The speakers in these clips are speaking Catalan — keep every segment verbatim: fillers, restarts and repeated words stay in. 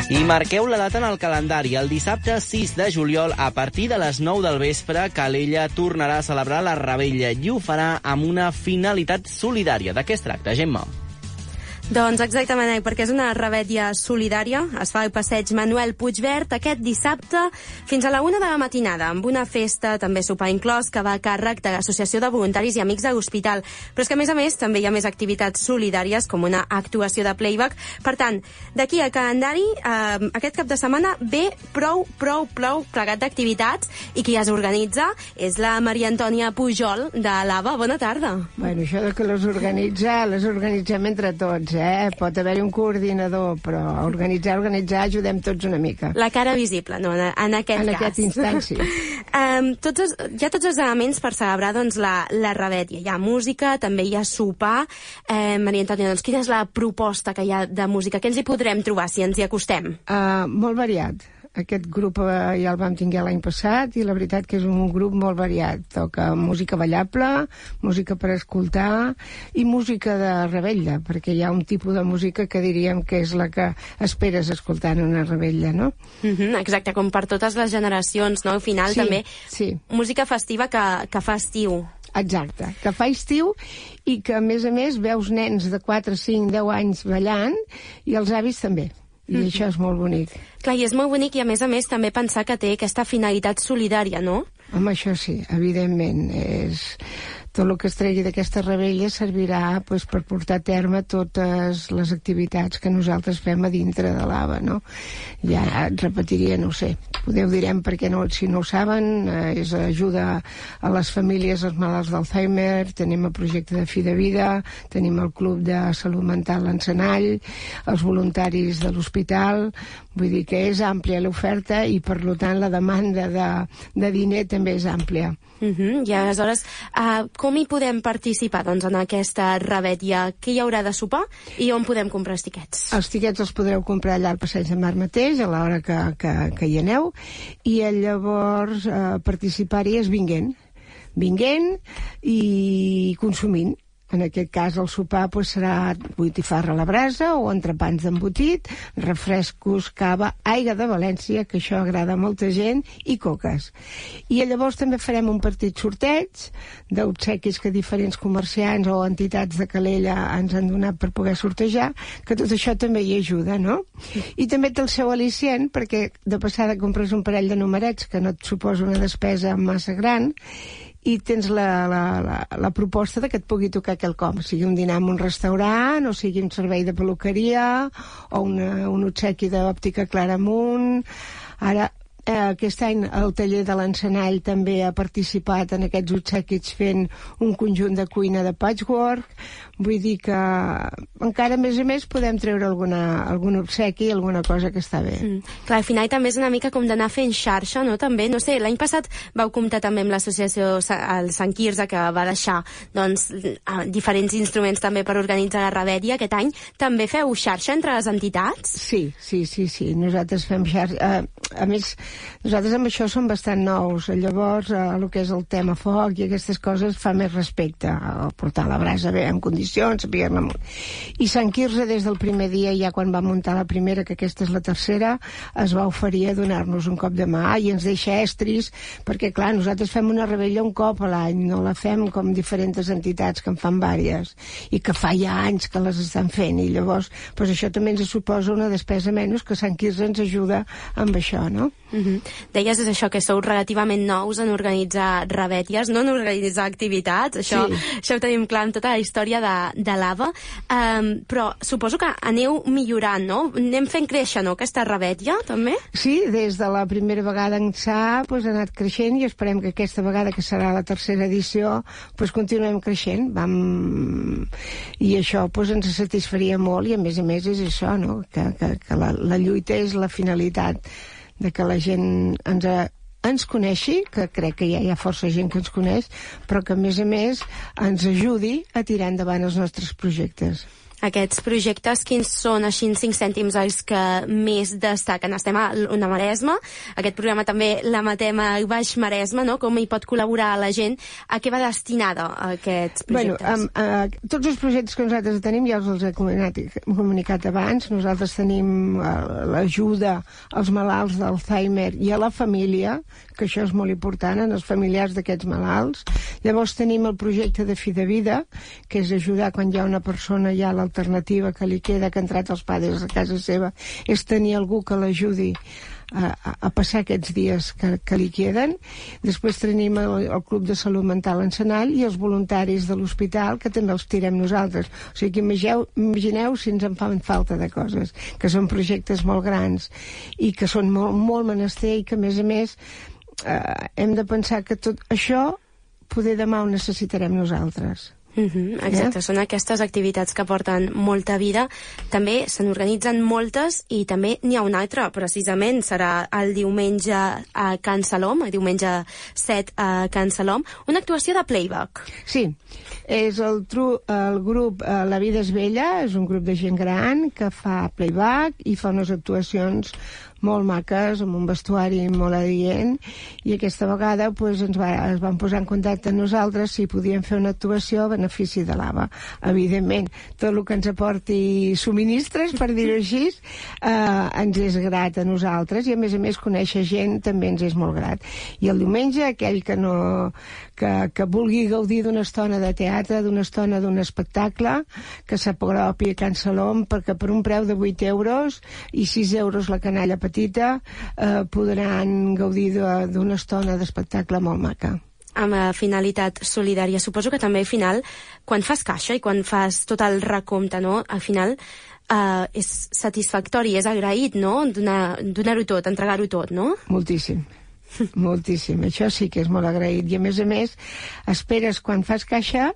I marqueu la data en el calendari. El dissabte sis de juliol, a partir de les nou del vespre, Calella tornarà a celebrar la Revetlla i ho farà amb una finalitat solidària. De què es tracta, Gemma? Doncs exactament, perquè és una revetlla solidària. Es fa al passeig Manuel Puigvert aquest dissabte fins a la una de la matinada, amb una festa, també sopar inclòs, que va a càrrec de l'Associació de Voluntaris i Amics de l'Hospital. Però és que, a més a més, també hi ha més activitats solidàries, com una actuació de playback. Per tant, d'aquí al calendari, eh, aquest cap de setmana ve prou, prou, prou plegat d'activitats, i qui les organitza és la Maria Antònia Pujol, de l'Ava. Bona tarda. Bueno, això de que les organitza, les organitzem entre tots. Eh? Pot haver-hi un coordinador, però organitzar, organitzar, ajudem tots una mica. La cara visible, no, en, en aquest en cas. En aquest instant, sí. um, tots els, hi ha tots els elements per celebrar doncs, la, la revetlla. Hi ha música, també hi ha sopar. Eh, Maria Antònia, doncs, quina és la proposta que hi ha de música? Què ens hi podrem trobar si ens hi acostem? Uh, molt variat. Aquest grup eh, ja el vam tinguer l'any passat i la veritat que és un grup molt variat. Toca música ballable, música per escoltar i música de revetlla, perquè hi ha un tipus de música que diríem que és la que esperes escoltar en una revetlla, no? Mm-hmm, exacte, com per totes les generacions, no? Al final sí, també sí. Música festiva que, que fa estiu. Exacte, que fa estiu i que a més a més veus nens de quatre, cinc, deu anys ballant i els avis també. I mm-hmm. això és molt bonic. Clar, i és molt bonic i a més a més també pensar que té aquesta finalitat solidària, no? Home, això sí, evidentment. És... Tot el que es tregui d'aquesta revetlla servirà pues, per portar a terme totes les activitats que nosaltres fem a dintre de l'Ava, no? Ja et repetiria, no ho sé, podeu direm perquè no, si no ho saben, eh, és ajuda a les famílies, als malalts d'Alzheimer, tenim el projecte de Fi de Vida, tenim el Club de Salut Mental l'Encenall, els voluntaris de l'hospital, vull dir que és àmplia l'oferta i per tant la demanda de, de diner també és àmplia. Uh-huh. I aleshores, uh, com hi podem participar doncs, en aquesta revetlla? Què hi haurà de sopar i on podem comprar els tiquets? Els tiquets els podreu comprar allà al Passeig de Mar mateix, a l'hora que, que, que hi aneu, i llavors uh, participar-hi és vinguent. Vinguent i consumint. En aquest cas el sopar pues, serà botifarra a la brasa o entrepans d'embotit, refrescos, cava, aigua de València, que això agrada a molta gent, i coques. I llavors també farem un partit sorteig d'obsequis que diferents comerciants o entitats de Calella ens han donat per poder sortejar, que tot això també hi ajuda, no? I també té el seu al·licient, perquè de passada compres un parell de numerets que no et suposa una despesa massa gran, i tens la, la, la, la proposta de que et pugui tocar quelcom, sigui un dinar en un restaurant, o sigui un servei de peluqueria, o una, un obsequi d'òptica Claramunt. Ara, eh, aquest any el taller de l'Encenall també ha participat en aquests obsequis fent un conjunt de cuina de patchwork. Vull dir que encara, a més a més, podem treure alguna, algun obsequi, alguna cosa que està bé. Mm. Clar, al final també és una mica com d'anar fent xarxa, no? També, no sé, l'any passat vau comptar també amb l'associació el Sant Quirze, que va deixar doncs, diferents instruments també per organitzar la revetlla. Aquest any també feu xarxa entre les entitats? Sí, sí, sí, sí. Nosaltres fem xarxa. Uh, a més, nosaltres amb això som bastant nous. Llavors, uh, el que és el tema foc i aquestes coses fa més respecte a portar la brasa bé, en condicions, saber-ne molt. I Sant Quirze, des del primer dia, ja quan va muntar la primera, que aquesta és la tercera, es va oferir a donar-nos un cop de mà i ens deixa estris, perquè, clar, nosaltres fem una revetlla un cop a l'any, no la fem com diferents entitats que en fan vàries, i que fa ja anys que les estan fent, i llavors, pues això també ens suposa una despesa menys, que Sant Quirze ens ajuda amb això, no? Uh-huh. Deies és això, que sou relativament nous en organitzar revetlles, no en organitzar activitats, això, sí. Això ho tenim clar en tota la història de, de l'Ava, um, però suposo que aneu millorant, no? Anem fent créixer, no?, aquesta revetlla, també? Sí, des de la primera vegada ençà pues, ha anat creixent i esperem que aquesta vegada, que serà la tercera edició, pues, continuem creixent. Vam... I això pues, ens satisfaria molt i, a més a més, és això, no?, que, que, que la, la lluita és la finalitat de que la gent ens, a, ens coneixi, que crec que ja hi ha força gent que ens coneix, però que a més a més ens ajudi a tirar endavant els nostres projectes. Aquests projectes, quins són, així en cinc cèntims, els que més destaquen? Estem a una Maresma, aquest programa també l'emetem a Baix Maresme, no? Com hi pot col·laborar la gent? A què va destinada aquests projectes? Bueno, um, uh, tots els projectes que nosaltres tenim ja els he comunicat, comunicat abans. Nosaltres tenim uh, l'ajuda als malalts d'Alzheimer i a la família, que això és molt important, en els familiars d'aquests malalts. Llavors tenim el projecte de Fi de Vida, que és ajudar quan hi ha una persona ja a l'alternativa que li queda, que ha entrat els padres a casa seva, és tenir algú que l'ajudi a, a, a passar aquests dies que, que li queden. Després tenim el, el Club de Salut Mental Encenall i els voluntaris de l'hospital, que també els tirem nosaltres. O sigui que imagineu, imagineu si ens en fan falta de coses, que són projectes molt grans i que són molt, molt menester i que, a més a més, eh, hem de pensar que tot això poder demà ho necessitarem nosaltres. Uh-huh, exacte, eh? Són aquestes activitats que porten molta vida. També se n'organitzen moltes i també n'hi ha una altra, precisament serà el diumenge a Can Salom, el diumenge set a Can Salom, una actuació de playback. Sí, és el, tru, el grup eh, La Vida és Bella, és un grup de gent gran que fa playback i fa unes actuacions molt maques, amb un vestuari molt adient, i aquesta vegada pues, ens va, es van posar en contacte amb nosaltres si podíem fer una actuació a benefici de l'A V A. Evidentment, tot el que ens aporti subministres, per dir-ho així, eh, ens és grat a nosaltres, i a més a més conèixer gent també ens és molt grat. I el diumenge, aquell que no que, que vulgui gaudir d'una estona de teatre, d'una estona d'un espectacle, que s'apropi a Can Salom, perquè per un preu de vuit euros i sis euros la canalla petita eh, podran gaudir d'una estona d'espectacle molt maca. Amb la finalitat solidària. Suposo que també al final, quan fas caixa i quan fas tot el recompte, no? Al final eh, és satisfactori, és agraït, no? Donar-ho tot, entregar-ho tot, no? Moltíssim. Moltíssim, això sí que és molt agraït, i a més a més esperes quan fas caixa,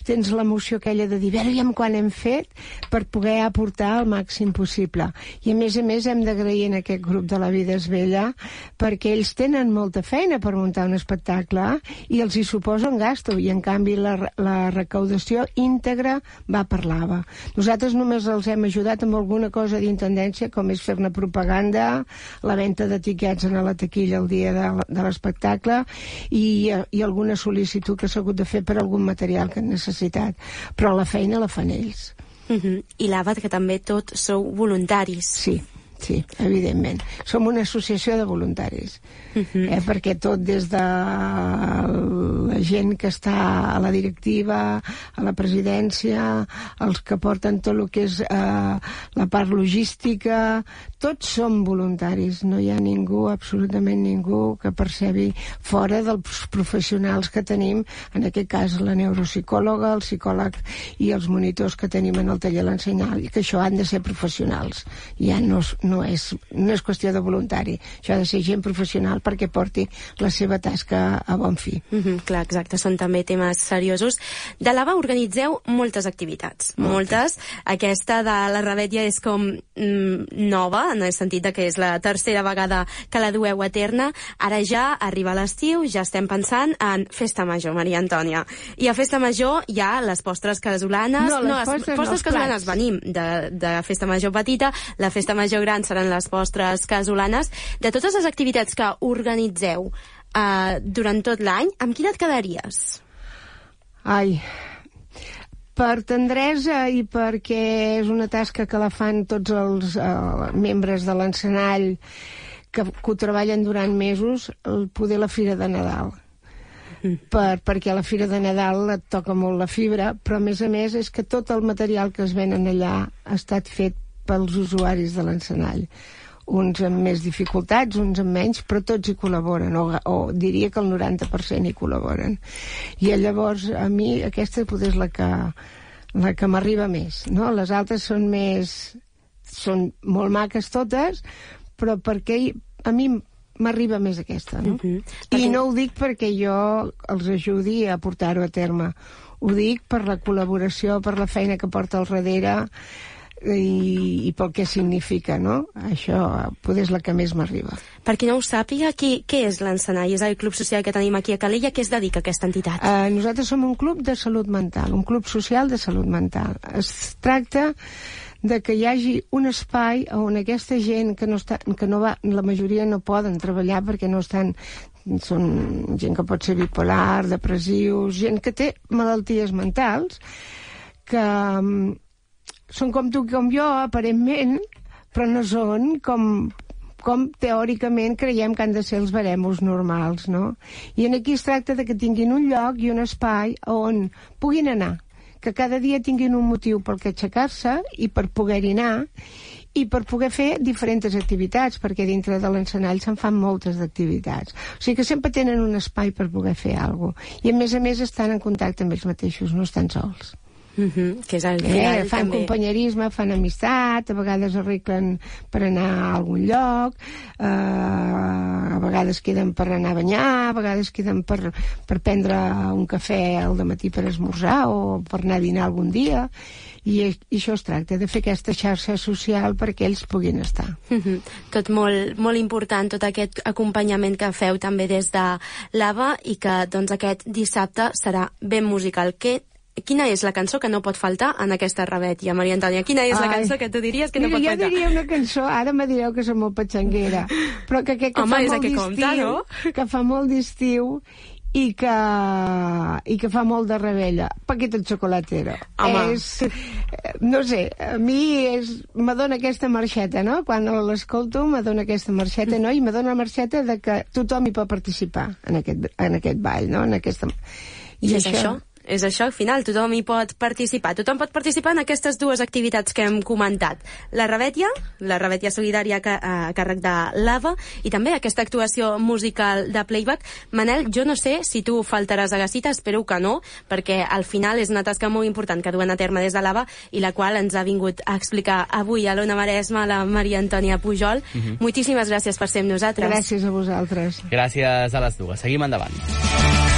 tens l'emoció aquella de dir aviam quan hem fet per poder aportar el màxim possible, i a més a més hem d'agrair en aquest grup de La Vida és Bella perquè ells tenen molta feina per muntar un espectacle i els hi suposa un gasto, i en canvi la, la recaudació íntegra va per l'A V A. Nosaltres només els hem ajudat amb alguna cosa d'intendència, com és fer-ne propaganda, la venda de tiquets en la taquilla el dia de de l'espectacle i, i alguna sol·licitud que s'ha hagut de fer per algun material que han necessitat, però la feina la fan ells. Uh-huh. I l'A V A, que també tot sou voluntaris. Sí, sí, evidentment. Som una associació de voluntaris, uh-huh. eh, perquè tot des de la gent que està a la directiva, a la presidència, els que porten tot el que és eh, la part logística, tots som voluntaris, no hi ha ningú, absolutament ningú, que percebi fora dels professionals que tenim, en aquest cas la neuropsicòloga, el psicòleg i els monitors que tenim en el taller l'ensenyar, i que això han de ser professionals, ja no, no, és, no és qüestió de voluntari, això ha de ser gent professional perquè porti la seva tasca a bon fi. Mm-hmm, clar, exacte, són també temes seriosos. De l'A V A organitzeu moltes activitats, moltes. moltes. Aquesta de la Revetlla és com mm, nova, en el sentit que és la tercera vegada que la dueu a terme. Ara ja arriba l'estiu, ja estem pensant en Festa Major, Maria Antònia. I a Festa Major hi ha les postres casolanes. No, les no, postres, postres no, casolanes venim de, de Festa Major petita, la Festa Major gran seran les postres casolanes. De totes les activitats que organitzeu eh, durant tot l'any, amb quina et quedaries? Ai... Per tendresa i perquè és una tasca que la fan tots els uh, membres de l'encenall que, que ho treballen durant mesos, el poder la Fira de Nadal. Mm. Per, perquè a la Fira de Nadal et toca molt la fibra, però a més a més és que tot el material que es venen allà ha estat fet pels usuaris de l'encenall. Uns amb més dificultats, uns amb menys, però tots hi col·laboren, o, o diria que el noranta per cent hi col·laboren. I llavors, a mi, aquesta potser és la que, la que m'arriba més, no? Les altres són més... són molt maques totes, però perquè a mi m'arriba més aquesta, no? Uh-huh. I perquè... no ho dic perquè jo els ajudi a portar-ho a terme. Ho dic per la col·laboració, per la feina que porta al darrere. i, i pel què significa, no? Això potser és la que més m'arriba. Per qui no ho sàpiga, qui, què és l'Encenall? És el club social que tenim aquí a Calella. Què es dedica a aquesta entitat? Uh, nosaltres som un club de salut mental, un club social de salut mental. Es tracta de que hi hagi un espai on aquesta gent que no està, que no va, la majoria no poden treballar perquè no estan, són gent que pot ser bipolar, depressius, gent que té malalties mentals, que um, són com tu i com jo, aparentment, però no són com, com teòricament creiem que han de ser els baremos normals, no? I aquí es tracta de que tinguin un lloc i un espai on puguin anar, que cada dia tinguin un motiu per què aixecar-se i per poder-hi anar i per poder fer diferents activitats, perquè dintre de l'Encenall se'n fan moltes activitats. O sigui que sempre tenen un espai per poder fer alguna cosa. I a més a més estan en contacte amb ells mateixos, no estan sols. Mm-hmm, que és el final, eh, fan també. companyerisme, fan amistat, a vegades arreglen per anar a algun lloc, eh, a vegades queden per anar a banyar, a vegades queden per, per prendre un cafè al dematí per esmorzar o per anar a dinar algun dia, i, i això es tracta, de fer aquesta xarxa social perquè ells puguin estar. Mm-hmm. Tot molt, molt important, tot aquest acompanyament que feu també des de l'Ava, i que doncs aquest dissabte serà ben musical. Què Quina és la cançó que no pot faltar en aquesta revetlla, Maria Antònia? Quina és la Ai. cançó que tu diries que Mira, no pot faltar? Jo diria una cançó, ara me direu que som molt patxanguera, però que, que, que Home, fa és molt que d'estiu, compta, no? que fa molt d'estiu i que, i que fa molt de rebella. Paquito Chocolatero. Home. És, no sé, a mi és, me dona aquesta marxeta, no? Quan l'escolto me dona aquesta marxeta, no? I me dona la marxeta de que tothom hi pot participar en aquest, en aquest ball, no? En aquesta... I, I és això? això? És això, al final, tothom hi pot participar. Tothom pot participar en aquestes dues activitats que hem comentat. La revetlla, la revetlla solidària a, a càrrec de l'Ava, i també aquesta actuació musical de playback. Manel, jo no sé si tu faltaràs a Gasita, espero que no, perquè al final és una tasca molt important que duen a terme des de l'Ava i la qual ens ha vingut a explicar avui a l'Ona Maresma la Maria Antònia Pujol. Mm-hmm. Moltíssimes gràcies per ser amb nosaltres. Gràcies a vosaltres. Gràcies a les dues. Seguim endavant.